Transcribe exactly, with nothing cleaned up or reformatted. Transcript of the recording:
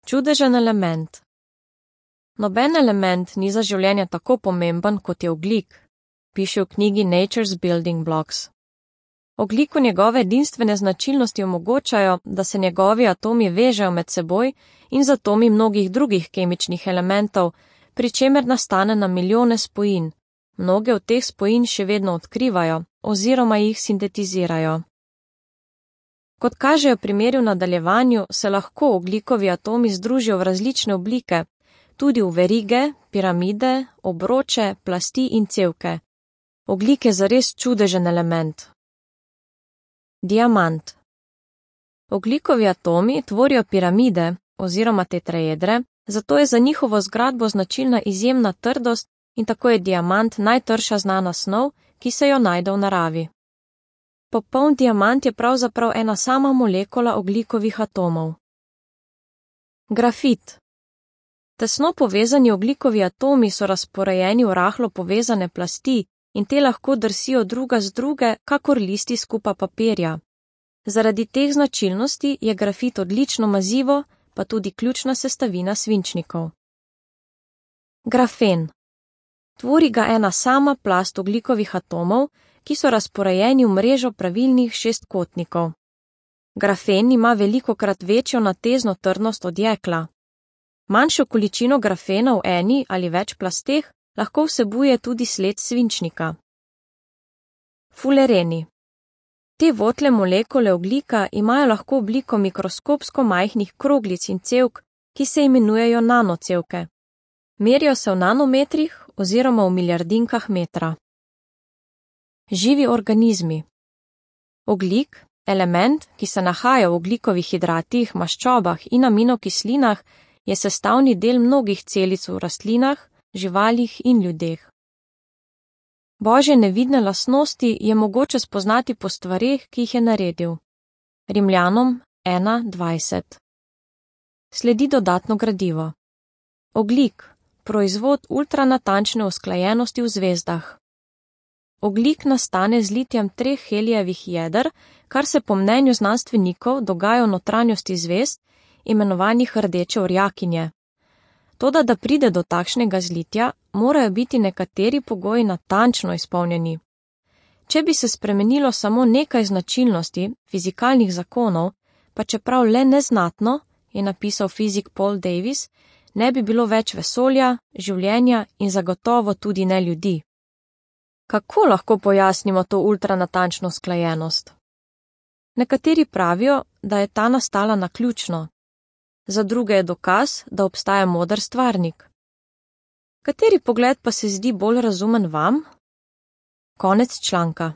Čudežen element. Noben element ni za življenje tako pomemben, kot je ogljik, piše v knjigi Nature's Building Blocks. Ogljiku njegove edinstvene značilnosti omogočajo, da se njegovi atomi vežejo med seboj in z atomi mnogih drugih kemičnih elementov, pri čemer nastane na milijone spojin. Mnoge od teh spojin še vedno odkrivajo oziroma jih sintetizirajo. Kot kažejo primeri v nadaljevanju, se lahko ogljikovi atomi združijo v različne oblike, tudi v verige, piramide, obroče, plasti in cevke. Ogljik je zares čudežen element. Diamant. Ogljikovi atomi tvorijo piramide oziroma tetraedre, zato je za njihovo zgradbo značilna izjemna trdost in tako je diamant najtrša znana snov, ki se jo najde v naravi. Popoln diamant je pravzaprav ena sama molekula ogljikovih atomov. Grafit. Tesno povezani ogljikovi atomi so razporejeni v rahlo povezane plasti in te lahko drsijo druga z druge, kakor listi skupa papirja. Zaradi teh značilnosti je grafit odlično mazivo, pa tudi ključna sestavina svinčnikov. Grafen. Tvori ga ena sama plast ogljikovih atomov, ki so razporejeni v mrežo pravilnih šestkotnikov. Grafen ima velikokrat večjo natezno trdnost od jekla. Manjšo količino grafena v eni ali več plasteh lahko vsebuje tudi sled svinčnika. Fulereni. Te votle molekule ogljika imajo lahko obliko mikroskopsko majhnih kroglic in cevk, ki se imenujejo nanocevke. Merijo se v nanometrih oziroma v milijardinkah metra. Živi organizmi. Ogljik, element, ki se nahaja v ogljikovih hidratih, maščobah in aminokislinah, je sestavni del mnogih celic v rastlinah, živalih in ljudeh. Božje nevidne lastnosti je mogoče spoznati po stvareh, ki jih je naredil. Rimljanom ena dvajset. Sledi dodatno gradivo. Ogljik, proizvod ultranatančne usklajenosti v zvezdah. Ogljik nastane z litjem treh helijevih jeder, kar se po mnenju znanstvenikov dogaja v notranjosti zvezd, imenovanih rdeče orjakinje. Toda, da pride do takšnega zlitja, morajo biti nekateri pogoji natančno izpolnjeni. Če bi se spremenilo samo nekaj značilnosti fizikalnih zakonov, pa čeprav le neznatno, je napisal fizik Paul Davies, ne bi bilo več vesolja, življenja in zagotovo tudi ne ljudi. Kako lahko pojasnimo to ultranatančno usklajenost? Nekateri pravijo, da je ta nastala naključno. Za druge je dokaz, da obstaja moder stvarnik. Kateri pogled pa se zdi bolj razumen vam? Konec članka.